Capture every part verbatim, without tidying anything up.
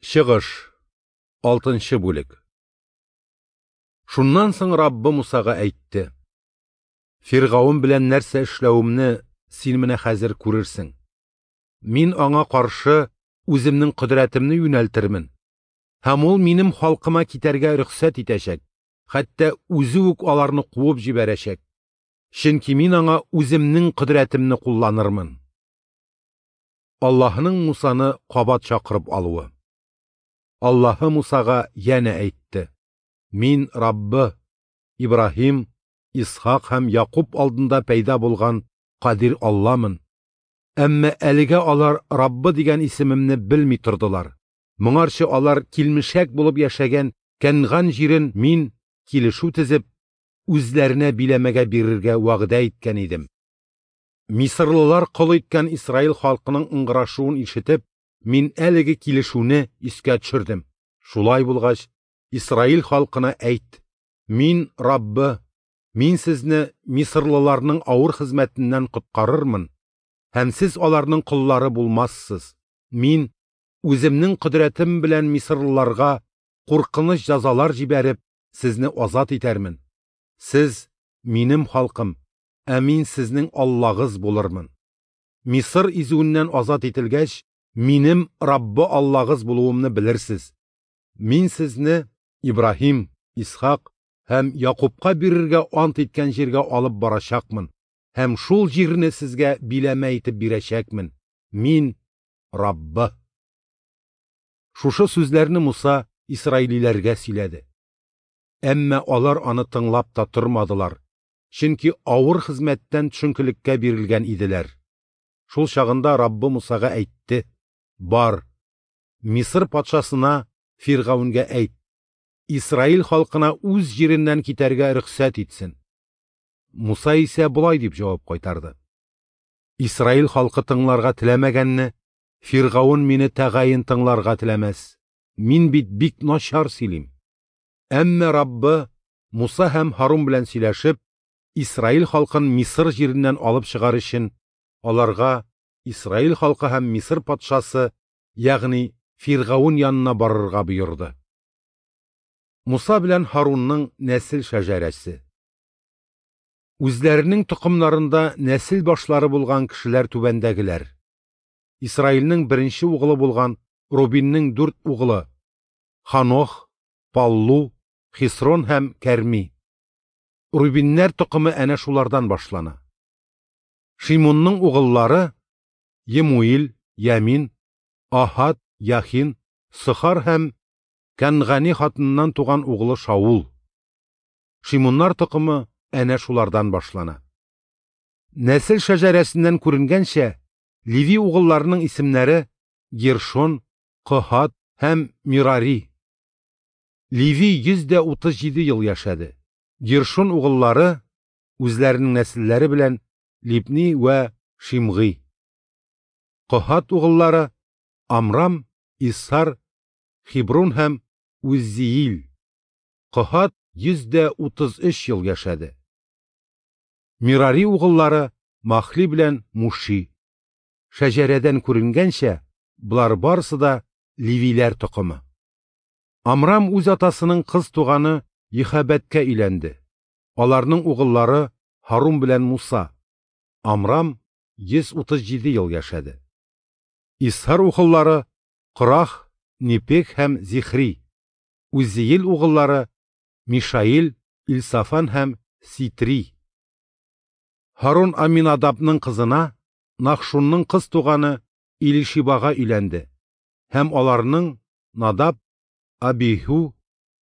Чыгыш, алтынчы бүлек. Шуннан соң Раббы Мусага әйтте: Фиргавен белән нәрсә эшләвемне син менә хәзер күрерсең. Мин аңа каршы үземнең кодрәтемне юнәлтермен, һәм ул минем халкыма китәргә рөхсәт итәчәк, хәтта үзе үк аларны куып җибәрәчәк. Чөнки мин аңа үземнең кодрәтемне кулланырмын. Аллаһының Мусаны кабат чакырып алуы. Аллаһы Мусага янә әйтте: Мин Раббы, Ибраһим, Исхак һәм Якуб алдында пәйда булган Кадир Алламын. Әмма әлегә алар Раббы дигән исемемне белми тордылар. Моңарчы алар килмешәк булып яшәгән Кәнган җирен мин килешү төзеп, үзләренә биләмәгә бирергә вәгъдә иткән идем. Мисырлылар кол иткән Исраил халкының ыңгырашуын ишетеп, мин әлеге килешүне искә төшердем. Шулай булгач, Исраил халкына әйт: Мин Раббы, мин сезне мисырлыларның авыр хезмәтеннән коткарырмын, һәм сез аларның коллары булмассыз. Мин үземнең кодрәтем белән мисырлыларга куркыныч җәзалар җибәреп, сезне азат итәрмен. Сез минем халкым, ә мин сезнең Аллагыз булырмын. Мисыр изүеннән азат ителгәч, минем Раббы Аллагыз булуымны белерсез. Мин сезне Ибраһим, Исхак һәм Якубка бирергә ант иткән җиргә алып барачакмын, һәм шул җирне сезгә биләмә итеп бирәчәкмен. Мин Раббы. Шушы сүзләрне Муса исраилиләргә сөйләде. Әмма алар аны тыңлап та тормадылар, чөнки авыр хезмәттән төшенкелеккә бирелгән иделәр. Шул чагында Раббы Мусага әйтте: Бар, Мисыр патшасына Фиргавенгә әйт: Исраил халкына үз җиреннән китәргә рөхсәт итсен. Муса исә болай дип җавап кайтарды: Исраил халкы тыңларга теләмәгәнне, Фиргавен мине тәгаен тыңларга теләмәс. Мин бит бик начар сөйлим. Әмма Раббы Муса һәм Һарун белән сөйләшеп, Исраил халкын Мисыр җиреннән алып чыгар өчен, аларга Исраил халкы һәм Мисыр патшасы, ягъни Фиргавен янына барырга боерды. Муса белән Һарунның нәсел шәҗәрәсе. Үзләренең токымнарында нәсел башлары булган кешеләр түбәндәгеләр. Исраилнең беренче угылы булган Рубиннең дүрт угылы: Ханох, Паллу, Хисрон һәм Кәрми. Рубиннәр токымы әнә шулардан башлана. Шимунның угыллары: Емуил, Ямин, Ахад, Яхин, Сохар һәм Кәнгани хатыныннан туган угылы Шаул. Шимуннар токымы әнә шулардан башлана. Нәсел шәҗәрәсеннән күренгәнчә, Леви угылларының исемнәре Гершон, Коһат һәм Мирари. Леви йөз дә утыз җиде ел яшәде. Гершон угыллары үзләренең нәселләре белән Либни вә Шимгый. Коһат угыллары Амрам, Исар, Хибрун һәм Уззиил. Коһат йөз дә утыз өч ел яшәде. Мирари угыллары Махли белән Муши. Шәҗәрәдән күренгәнчә, болар барысы да Левиләр токымы. Амрам үз атасының кыз туганы Йөхәбәткә өйләнде. Аларның угыллары Һарун белән Муса. Амрам йөз утыз җиде ел яшәде. Исхар угыллары Корах, Непех һәм Зихри. Уззиил угыллары Мишаил, Илсафан һәм Ситри. Һарун Аминадабның кызына, Нахшунның кыз туганы Илишибага өйләнде, һәм аларның Надаб, Абиһу,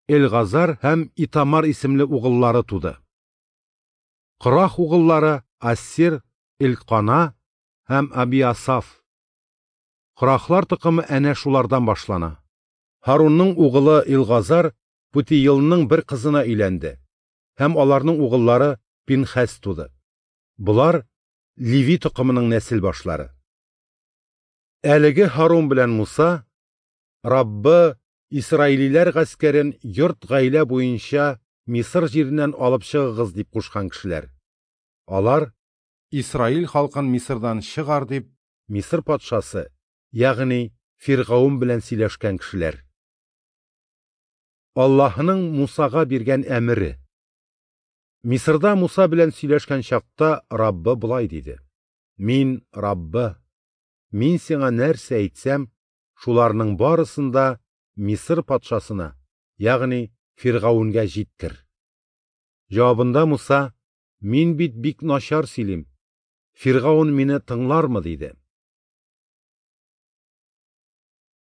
Элгазар һәм Итамар исемле угыллары туды. Корах угыллары Ассир, Элкана һәм Абиасаф. Корахлар токымы әнә шулардан башлана. Һарунның угылы Илгазар Путиилның бер кызына өйләнде, һәм аларның угыллары Пинхәс туды. Болар Леви токымының нәсел башлары. Әлеге Һарун белән Муса Раббы Исраилиләр гаскәрен йорт гаилә буенча Мисыр җиреннән алып чыгыгыз дип кушкан кешеләр. Алар Исраил халкын Мисырдан чыгар дип Мисыр патшасы, ягъни Фиргавен белән сөйләшкән кешеләр. Аллаһының Мусага биргән әмере. Мисырда Муса белән сөйләшкән чакта Раббы болай диде: Мин Раббы, мин сиңа нәрсә әйтсәм, шуларның барысын да Мисыр патшасына, ягъни Фиргавенгә җиткер. Җавабында Муса: Мин бит бик начар сөйлим, Фиргавен мине тыңлармы? – диде.